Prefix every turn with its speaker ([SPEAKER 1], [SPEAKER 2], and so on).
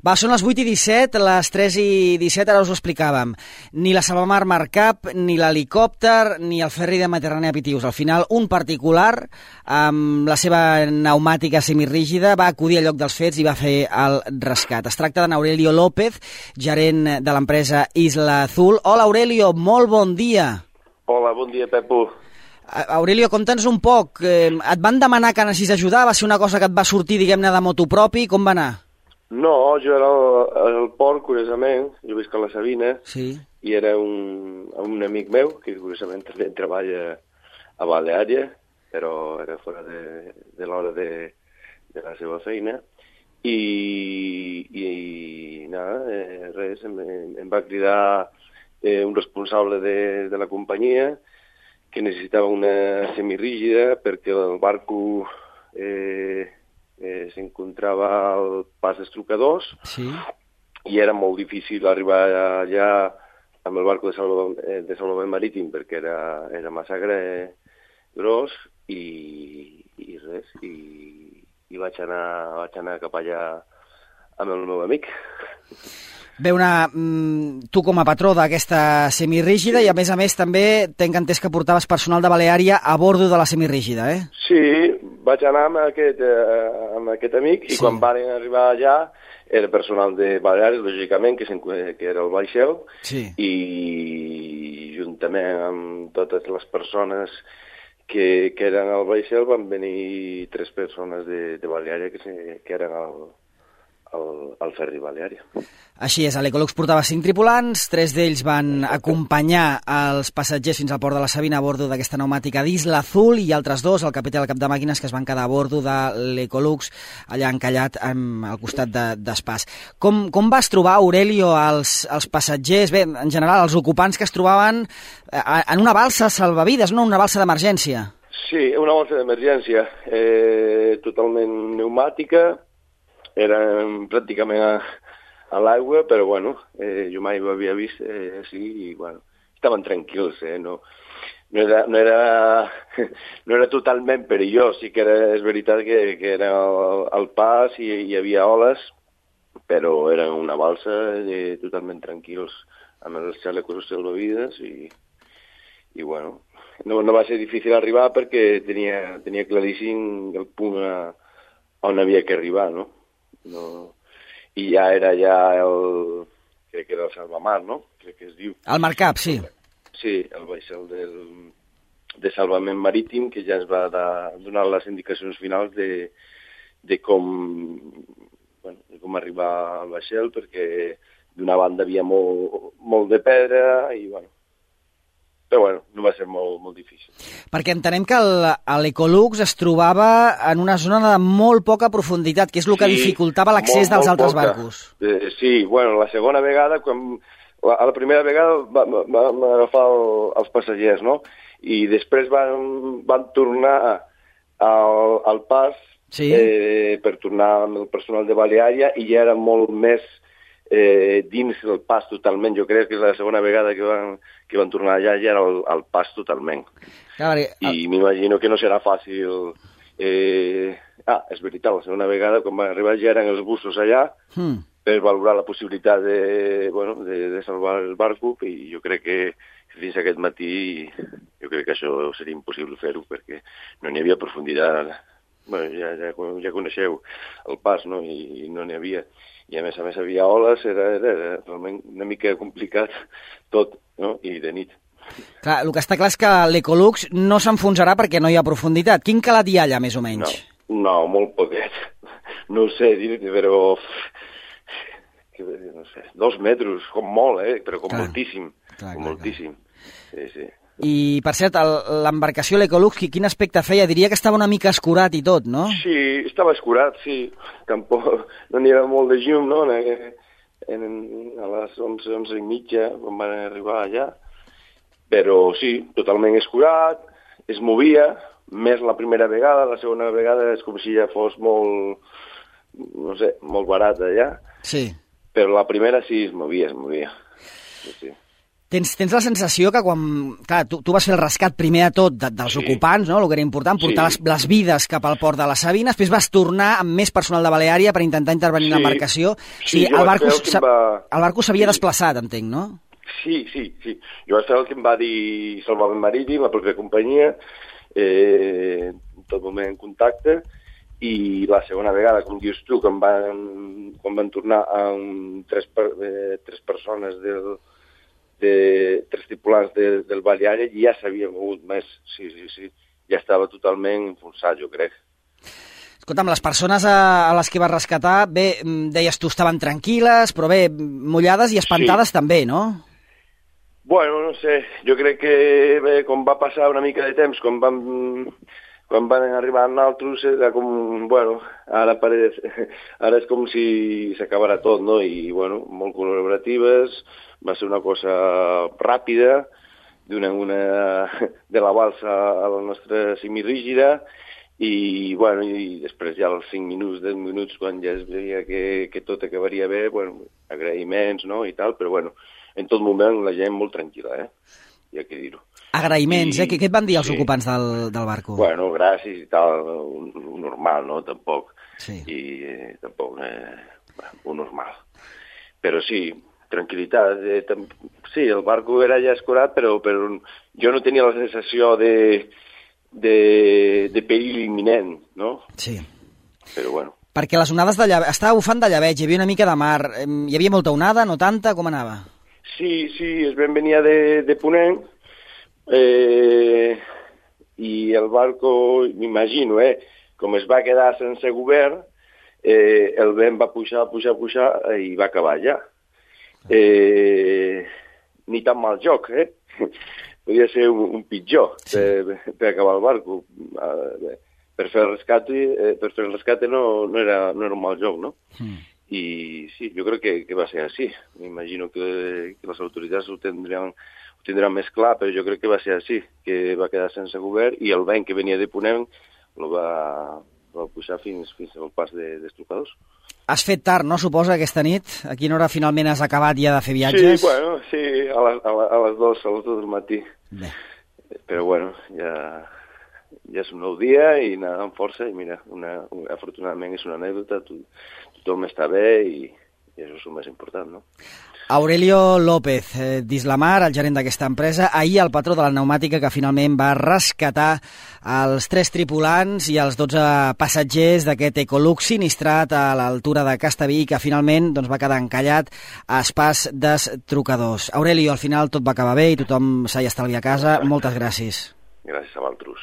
[SPEAKER 1] Va, són les 8:17, les 3:17, ara us ho explicàvem. Ni la Salvamar Marcap, ni l'helicòpter, ni el ferri de Mediterrània Pitius. Al final, un particular, amb la seva pneumàtica semirígida, va acudir al lloc dels fets i va fer el rescat. Es tracta d'en Aurelio López, gerent de l'empresa Isla Azul. Hola, Aurelio, molt bon dia.
[SPEAKER 2] Hola, bon dia, Pepo.
[SPEAKER 1] Aurelio, conta'ns un poc. Et van demanar que anessis a ajudar? Va ser una cosa que et va sortir, diguem-ne, de motu propi? Com va anar?
[SPEAKER 2] No, jo era al port, curiosament. Jo visc a la Sabina.
[SPEAKER 1] Sí.
[SPEAKER 2] I era un amic meu, que curiosament també treballa a Baleària, però era fora de l'hora de la seva feina. I nada, res, em va cridar un responsable de la companyia que necessitava una semirígida perquè el barco s'encontrava al pas d'Estrucadors,
[SPEAKER 1] sí,
[SPEAKER 2] i era molt difícil arribar allà amb el barco de salvament marítim perquè era massa gros i res, i vaig anar cap allà amb el meu amic.
[SPEAKER 1] Bé, tu com a patró d'aquesta semirígida, i a més també tenc entès que portaves personal de Baleària a bordo de la semirígida, eh?
[SPEAKER 2] Sí, vaig anar amb aquest amic, i quan varen arribar allà era personal de Baleària, lògicament, que era el vaixell,
[SPEAKER 1] sí,
[SPEAKER 2] i juntament amb totes les persones que eren al vaixell van venir 3 persones de Baleària que eren al ferri Baleària.
[SPEAKER 1] Així és, l'Ecolux portava 5 tripulants, 3 d'ells van acompanyar els passatgers fins al port de la Sabina a bordo d'aquesta pneumàtica d'Isla Azul, i altres 2, el capità i el cap de màquines, que es van quedar a bordo de l'Ecolux, allà encallat al costat d'Espàs. Com vas trobar, Aurelio, els passatgers, bé, en general, els ocupants que es trobaven en una balsa salvavides, no? Una balsa d'emergència?
[SPEAKER 2] Sí, una balsa d'emergència, totalment pneumàtica. Eren pràcticament a l'aigua, però bueno, jo mai ho havia vist així, i bueno, estaven tranquils, no era totalment perillós, sí que és veritat que era al pas i hi havia oles, però era una balsa totalment tranquils, amb els chalecos salvavides, i bueno, no va ser difícil arribar perquè tenia claríssim el punt on havia que arribar, no? I ja era crec que era el Salvamar, no? Crec que es diu.
[SPEAKER 1] El Marcap, sí.
[SPEAKER 2] Sí, el vaixell de salvament marítim, que ja ens va donar les indicacions finals de com arribar al vaixell, perquè d'una banda havia molt de pedra, i bueno, però bueno, no va ser molt difícil.
[SPEAKER 1] Perquè entenem que l'Ecolux es trobava en una zona de molt poca profunditat, que és el que dificultava l'accés dels altres barcos.
[SPEAKER 2] Sí, bueno, la segona vegada, la primera vegada vam agafar els passatgers, no? I després van tornar al pas per tornar amb el personal de Baleària, i ja era molt més dins el pas totalment. Jo crec que és la segona vegada que van tornar allà, ja era el pas totalment. I m'imagino que no serà fàcil. És veritat, la segona vegada, quan van arribar, ja eren els bussos allà per valorar la possibilitat de salvar el barco, i jo crec que fins aquest matí jo crec que això seria impossible fer-ho, perquè no n'hi havia profunditat. Ja coneixeu el pas, no? I no n'hi havia. I a més havia oles, era realment una mica complicat tot, no? I de nit.
[SPEAKER 1] Clar, el que està clar és que l'Ecolux no s'enfonsarà perquè no hi ha profunditat. Quin calat hi ha allà, més o menys?
[SPEAKER 2] No, molt poquet. No ho sé dir-te, però no sé, 2 metres, com molt, però com moltíssim. Com moltíssim. Sí.
[SPEAKER 1] I, per cert, l'embarcació, l'Ecolux, quin aspecte feia? Diria que estava una mica escurat i tot, no?
[SPEAKER 2] Sí, estava escurat, sí. Tampoc no n'hi havia molt de llum, no? A les 11:30, quan van arribar allà. Però sí, totalment escurat, es movia, més la primera vegada, la segona vegada és com si ja fos molt, no sé, molt barat allà.
[SPEAKER 1] Sí.
[SPEAKER 2] Però la primera sí es movia. Sí.
[SPEAKER 1] Tens la sensació que quan... Clar, tu vas fer el rescat primer de tot dels ocupants, no? El que era important, portar les vides cap al port de la Sabina, després vas tornar amb més personal de Baleària per intentar intervenir en l'embarcació.
[SPEAKER 2] Sí,
[SPEAKER 1] el barco s'havia desplaçat, entenc, no?
[SPEAKER 2] Sí. Jo vaig fer el que em va dir Salvament Marítim, la propia companyia, en tot moment en contacte, i la segona vegada, com dius tu, quan van tornar amb tres persones tres tripulants del Baleària, ja s'havia mogut més, sí, ja estava totalment enfonsat, jo crec.
[SPEAKER 1] Escolta'm, les persones a les que vas rescatar, bé, deies tu, estaven tranquil·les, però bé, mullades i espantades també, no?
[SPEAKER 2] Bueno, no sé, jo crec que bé, com va passar una mica de temps, quan van arribar nosaltres, era com, bueno, ara és com si s'acabara tot, no? I, bueno, molt col·laboratives, va ser una cosa ràpida, de la balsa a la nostra semirígida, i, bueno, i després ja als 5 minuts, 10 minuts, quan ja es veia que tot acabaria bé, bueno, agraïments, no?, i tal, però, bueno, en tot moment la gent molt tranquil·la, hi ha que dir-ho.
[SPEAKER 1] Agraïments, Què et van dir els ocupants del barco?
[SPEAKER 2] Bueno, gràcies i tal, normal, no?, tampoc.
[SPEAKER 1] Sí.
[SPEAKER 2] I tampoc, un normal. Però sí, tranquil·litat. Sí, el barco era ja escurat, però jo no tenia la sensació de perill imminent, no?
[SPEAKER 1] Sí.
[SPEAKER 2] Però bueno.
[SPEAKER 1] Perquè les onades estava bufant de llebeig, hi havia una mica de mar, hi havia molta onada, no tanta, com anava?
[SPEAKER 2] Sí, es venia de Ponent, i el barco, m'imagino, com es va quedar sense govern, el vent va pujar i va acabar allà. Ni tan mal joc, Podia ser un pitjor per acabar el barco. Per fer el rescate no era un mal joc, no? I sí, jo crec que va ser així. M'imagino que les autoritats ho tindran més clar, però jo crec que va ser així, que va quedar sense govern i el vent que venia de Ponent el va pujar fins al pas dels trucadors.
[SPEAKER 1] Has fet tard, no, suposa, aquesta nit? A quina hora finalment has acabat ja de fer viatges?
[SPEAKER 2] Sí, a les 2 del matí.
[SPEAKER 1] Bé.
[SPEAKER 2] Però bueno, ja és un nou dia i anar amb força i mira, afortunadament és una anècdota, tothom està bé i això és el més important, no?
[SPEAKER 1] Aurelio López, d'Islamar, el gerent d'aquesta empresa, ahir el patró de la pneumàtica que finalment va rescatar els 3 tripulants i els 12 passatgers d'aquest Ecolux sinistrat a l'altura de Castellví, que finalment va quedar encallat a Espàs des Trucadors. Aurelio, al final tot va acabar bé i tothom s'ha estalviat a casa. Moltes gràcies.
[SPEAKER 2] Gràcies a vosaltres.